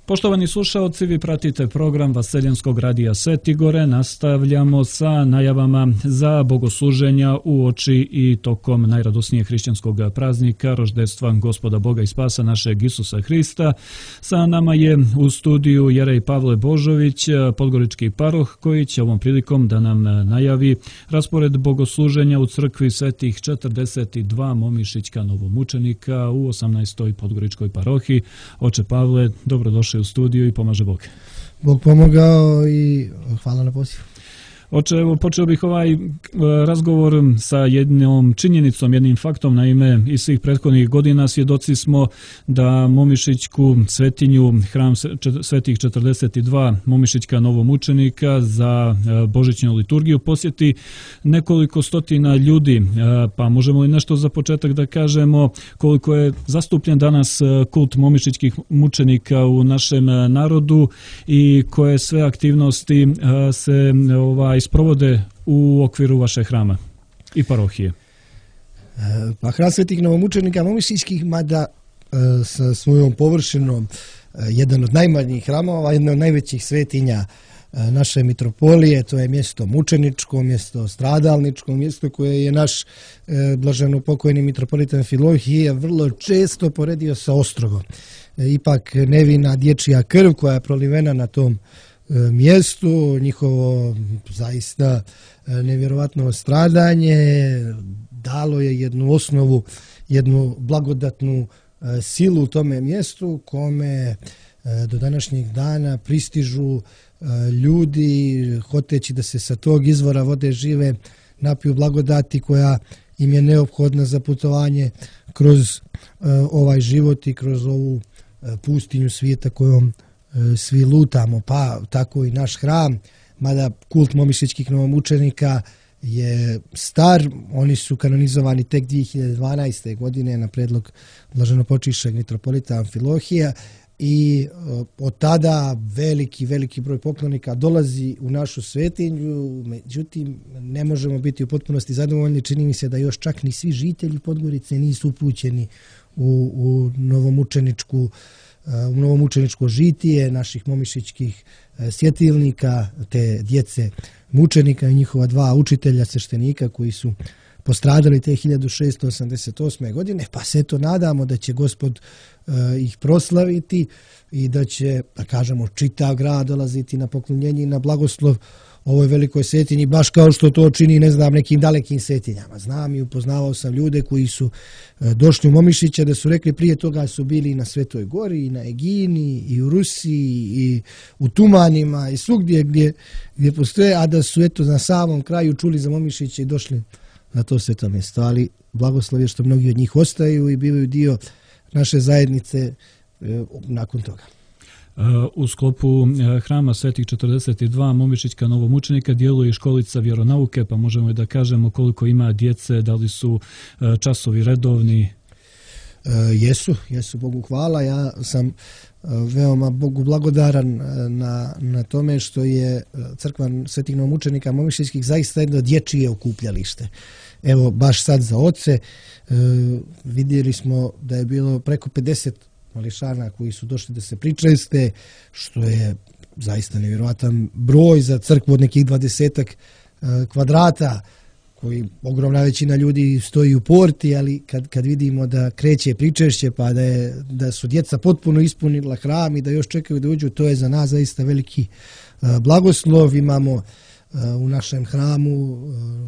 Poštovani slušaoci, vi pratite program Vaseljenskog radija Svetigore. Nastavljamo sa najavama za bogosluženja uoči i tokom najradosnijeg hrišćanskog praznika, roždestva Gospoda Boga i Spasa našeg Isusa Hrista. Sa nama je u studiju Jerej Pavle Božović, podgorički paroh, koji će ovom prilikom da nam najavi raspored bogosluženja u crkvi Svetih 42 Momišićka novomučenika u 18. podgoričkoj parohiji. Oče Pavle, dobrodošli u studiju i pomaže Bog. Bog pomogao i hvala na pozivu. Oče, evo počeo bih ovaj razgovor sa jednom činjenicom, jednim faktom. Naime, iz svih prethodnih godina svjedoci smo da Momišićku svetinju, hram Svetih 42 Momišićka novomučenika za božićnu liturgiju posjeti nekoliko stotina ljudi. Pa možemo li nešto za početak da kažemo koliko je zastupljen danas kult Momišićkih mučenika u našem narodu i koje sve aktivnosti se sprovode u okviru vaše hrama i parohije? Pa hram Svetih novomučenika Momišićkih, mada sa svojom površinom jedan od najmanjih hramova, jedna od najvećih svetinja naše mitropolije, to je mjesto mučeničko, mjesto stradalničko, mjesto koje je naš blaženo pokojni mitropolit Amfilohije vrlo često poredio sa ostrogom. Ipak nevina dječja krv koja je prolivena na tom mjestu, njihovo zaista nevjerovatno stradanje dalo je jednu osnovu, jednu blagodatnu silu u tome mjestu kome do današnjeg dana pristižu ljudi hoteći da se sa tog izvora vode žive napiju blagodati koja im je neophodna za putovanje kroz ovaj život i kroz ovu pustinju svijeta kojom svi lutamo, pa tako i naš hram, mada kult Momišićkih novomučenika je star, oni su kanonizovani tek 2012. godine na predlog blaženopočivšeg mitropolita Amfilohija i od tada veliki broj poklonika dolazi u našu svetinju, međutim ne možemo biti u potpunosti zadovoljni, čini mi se da još čak ni svi žitelji Podgorice nisu upućeni u novomučeničko žitije naših momišićkih svjetilnika, te djece mučenika i njihova dva učitelja sveštenika koji su postradali te 1688. godine, pa se to nadamo da će Gospod ih proslaviti i da će, da kažemo, čitav grad dolaziti na poklonjenje i na blagoslov ovoj velikoj svetinji, baš kao što to čini, ne znam, nekim dalekim svetinjama. Znam i upoznavao sam ljude koji su došli u Momišiće, da su rekli prije toga su bili i na Svetoj Gori, i na Egini, i u Rusiji, i u Tumanima, i svugdje gdje postoje, a da su eto na samom kraju čuli za Momišiće i došli na to sveto mjesto. Ali blagoslov je što mnogi od njih ostaju i bivaju dio naše zajednice nakon toga. U sklopu hrama Svetih 42 Momišićka novomučenika djeluje i školica vjeronauke, pa možemo i da kažemo koliko ima djece, da li su časovi redovni? Jesu, Bogu hvala. Ja sam veoma Bogu blagodaran na tome što je crkva Svetih novomučenika Momišićkih zaista jedno dječje okupljalište. Evo, baš sad za oce vidjeli smo da je bilo preko 50 mališana koji su došli da se pričeste, što je zaista nevjerojatan broj za crkvu od nekih 20 kvadrata, koji ogromna većina ljudi stoji u porti, ali kad vidimo da kreće pričešće, pa da su djeca potpuno ispunila hram i da još čekaju da uđu, to je za nas zaista veliki blagoslov. Imamo u našem hramu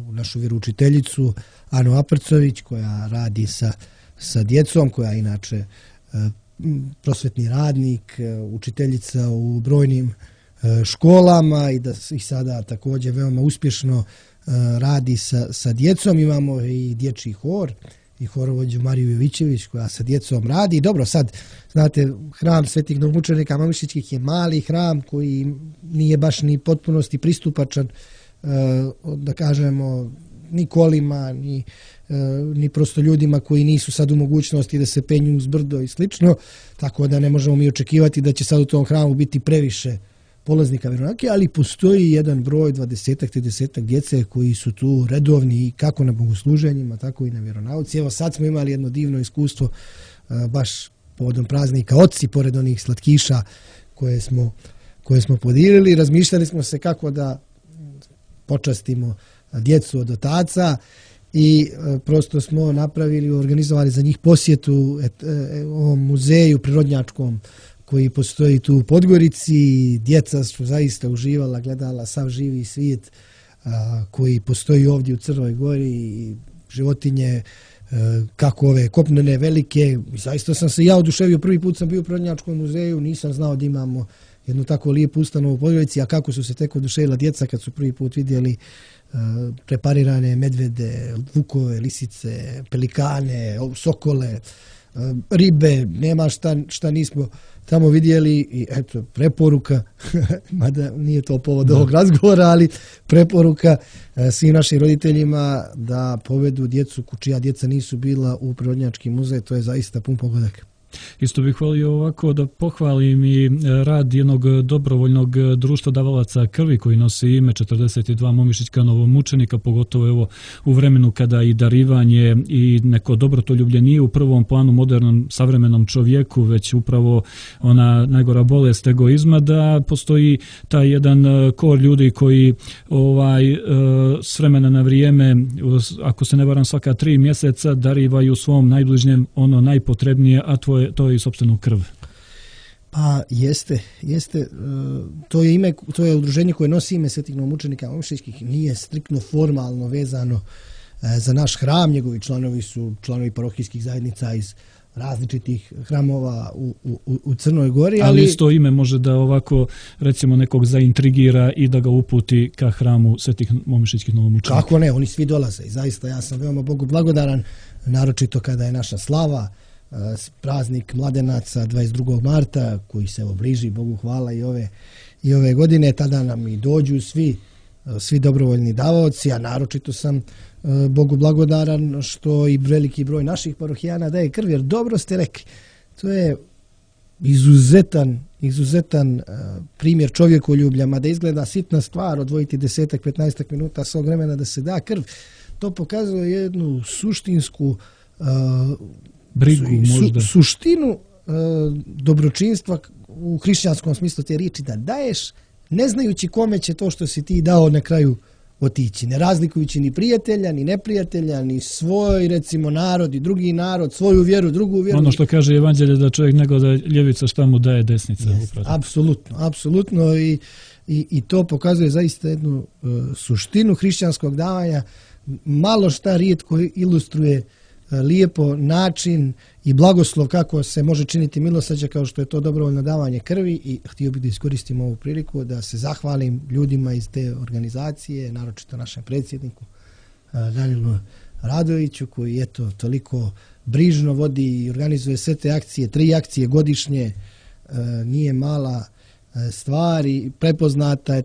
u našu vjeroučiteljicu Anu Aprcović koja radi sa djecom, koja inače prosvetni radnik, učiteljica u brojnim školama i da i sada također veoma uspješno radi sa djecom. Imamo i dječji hor i horovođu Mariju Jovićević koja sa djecom radi. Dobro, sad, znate, hram Svetih novomučenika Momišićkih je mali hram koji nije baš ni potpunosti pristupačan, da kažemo, ni kolima, ni prosto ljudima koji nisu sad u mogućnosti da se penju uz brdo i slično, tako da ne možemo mi očekivati da će sad u tom hramu biti previše polaznika vjeronauke, ali postoji jedan broj 20-30 djece koji su tu redovni kako na bogosluženjima, tako i na vjeronauci. Evo sad smo imali jedno divno iskustvo baš povodom praznika Oci, pored onih slatkiša koje smo podijelili. Razmišljali smo se kako da počastimo djecu od otaca i prosto smo organizovali za njih posjetu ovom muzeju prirodnjačkom koji postoji tu u Podgorici. Djeca su zaista uživala, gledala sav živi svijet koji postoji ovdje u Crnoj Gori i životinje, kako ove kopnene velike. Zaista sam se ja oduševio, prvi put sam bio u Prirodnjačkom muzeju, nisam znao da imamo jednu tako lijepu ustanovu u Podgorici, a kako su se tek oduševila djeca kad su prvi put vidjeli preparirane medvede, vukove, lisice, pelikane, sokole, ribe, nema šta nismo tamo vidjeli. I eto, preporuka, mada nije to povod ovog razgovora, ali preporuka svim našim roditeljima da povedu djecu čija djeca nisu bila u Prirodnjački muzej, to je zaista pun pogodak. Isto bih volio ovako da pohvalim i rad jednog dobrovoljnog društva davalaca krvi koji nosi ime 42 momišićka novomučenika, pogotovo evo u vremenu kada i darivanje i neko dobrotoljublje nije u prvom planu modernom savremenom čovjeku, već upravo ona najgora bolest egoizma, da postoji taj jedan kor ljudi koji s vremena na vrijeme, ako se ne varam svaka 3 mjeseca, darivaju svom najbližnjem ono najpotrebnije, a to je i sopstvenu krv. Pa jeste. To je udruženje koje nosi ime Svetih novomučenika momišićkih, nije striktno formalno vezano za naš hram. Njegovi članovi su članovi parohijskih zajednica iz različitih hramova u Crnoj Gori. Ali isto ime može da ovako recimo nekog zaintrigira i da ga uputi ka hramu Svetih momišićkih novomučenika. Kako ne, oni svi dolaze i zaista ja sam veoma Bogu blagodaran, naročito kada je naša slava, praznik mladenaca 22. marta koji se bliži, Bogu hvala, i ove godine. Tada nam i dođu svi dobrovoljni davaoci, a naročito sam Bogu blagodaran što i veliki broj naših parohijana daje krv, jer dobro ste rekli, to je izuzetan primjer čovjekoljublja, mada izgleda sitna stvar odvojiti 10-15 minuta svog vremena da se da krv. To pokazuje jednu suštinsku brigu, možda suštinu dobročinstva u hrišćanskom smislu te riječi, da daješ ne znajući kome će to što si ti dao na kraju otići, ne razlikujući ni prijatelja, ni neprijatelja, ni svoj recimo narod i drugi narod, svoju vjeru, drugu vjeru. Ono što kaže Evanđelje, da čovjek nego da ljevica šta mu daje desnica. Apsolutno i to pokazuje zaista jednu suštinu hrišćanskog davanja. Malo šta rijetko ilustruje lijepo način i blagoslov kako se može činiti milosrđe kao što je to dobrovoljno davanje krvi. I htio bih da iskoristim ovu priliku da se zahvalim ljudima iz te organizacije, naročito našem predsjedniku Danielu Radoviću, koji eto toliko brižno vodi i organizuje sve te akcije, 3 akcije godišnje, nije mala stvar i prepoznata je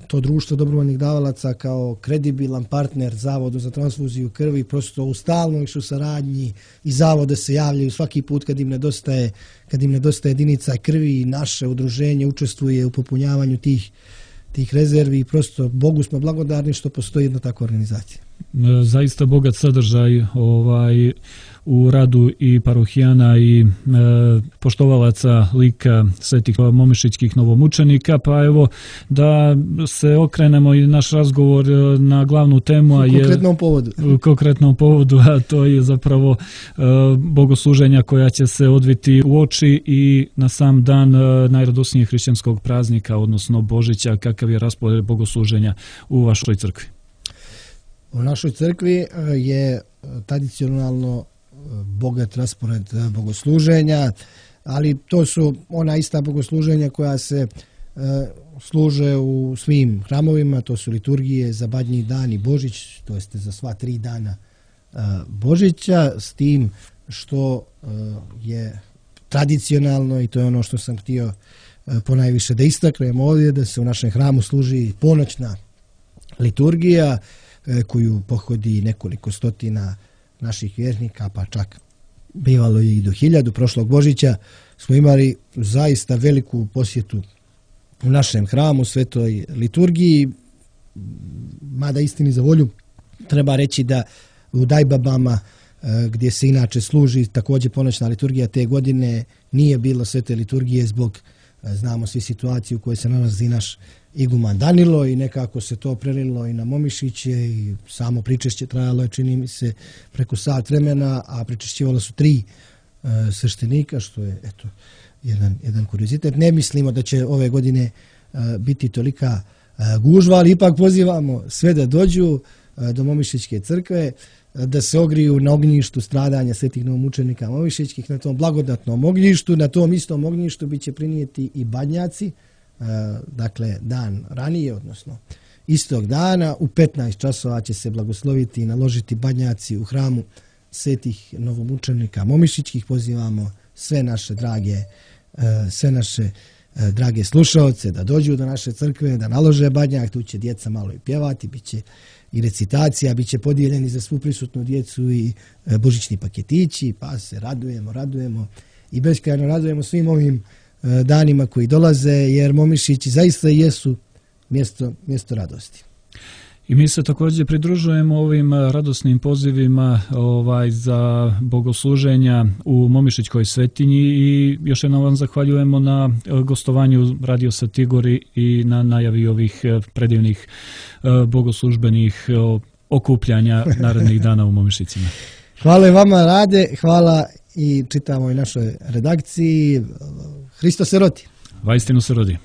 to društvo dobrovoljnih davalaca kao kredibilan partner Zavodu za transfuziju krvi, prosto u stalnoj su saradnji i zavode se javljaju svaki put kad im nedostaje jedinica krvi i naše udruženje učestvuje u popunjavanju tih rezervi i prosto Bogu smo blagodarni što postoji jedna takva organizacija. Zaista bogat sadržaj u radu i parohijana i poštovalaca lika Svetih momišićkih novomučenika, pa evo da se okrenemo i naš razgovor na glavnu temu, u konkretnom povodu, a to je zapravo bogosluženja koja će se odviti u oči i na sam dan najradosnijeg hrišćanskog praznika, odnosno Božića. Kakav je raspored bogosluženja u vašoj crkvi? U našoj crkvi je tradicionalno bogat raspored bogosluženja, ali to su ona ista bogosluženja koja se služe u svim hramovima, to su liturgije za Badnji dan i Božić, to jeste za sva 3 dana Božića, s tim što je tradicionalno, i to je ono što sam htio ponajviše da istaknem ovdje, da se u našem hramu služi ponoćna liturgija koju pohodi nekoliko stotina naših vjernika, pa čak bivalo je i do 1000. Prošlog Božića smo imali zaista veliku posjetu u našem hramu, svetoj liturgiji, mada istini za volju treba reći da u Dajbabama gdje se inače služi također ponoćna liturgija. Te godine nije bilo svete liturgije zbog, znamo svi situaciju u kojoj se nalazi naš iguman Danilo i nekako se to prelilo i na Momišiće i samo pričešće trajalo je, čini mi se, preko sat vremena, a pričešćivalo su 3 sveštenika, što je eto jedan kuriozitet. Ne mislimo da će ove godine biti tolika gužva, ali ipak pozivamo sve da dođu do Momišićke crkve, da se ogriju na ognjištu stradanja svetih novomučenika Momišićkih, na tom blagodatnom ognjištu. Na tom istom ognjištu biće prinijeti i badnjaci, dakle dan ranije, odnosno istog dana u 15 časova će se blagosloviti i naložiti badnjaci u hramu svetih novomučenika Momišićkih. Pozivamo sve naše drage slušaoce da dođu do naše crkve, da nalože badnjak. Tu će djeca malo i pjevati, bit će i recitacija, bit će podijeljeni za svu prisutnu djecu i božićni paketići, pa se radujemo i beskrajno radujemo svim ovim danima koji dolaze, jer Momišići zaista jesu mjesto radosti. I mi se također pridružujemo ovim radosnim pozivima za bogosluženja u Momišićkoj svetinji i još jednom vam zahvaljujemo na gostovanju Radio Satigori i na najavi ovih predivnih bogoslužbenih okupljanja narednih dana u Momišicima. Hvala vama, Rade, hvala i čitamo i našoj redakciji. Hristos se rodi. Vaistinu se rodi.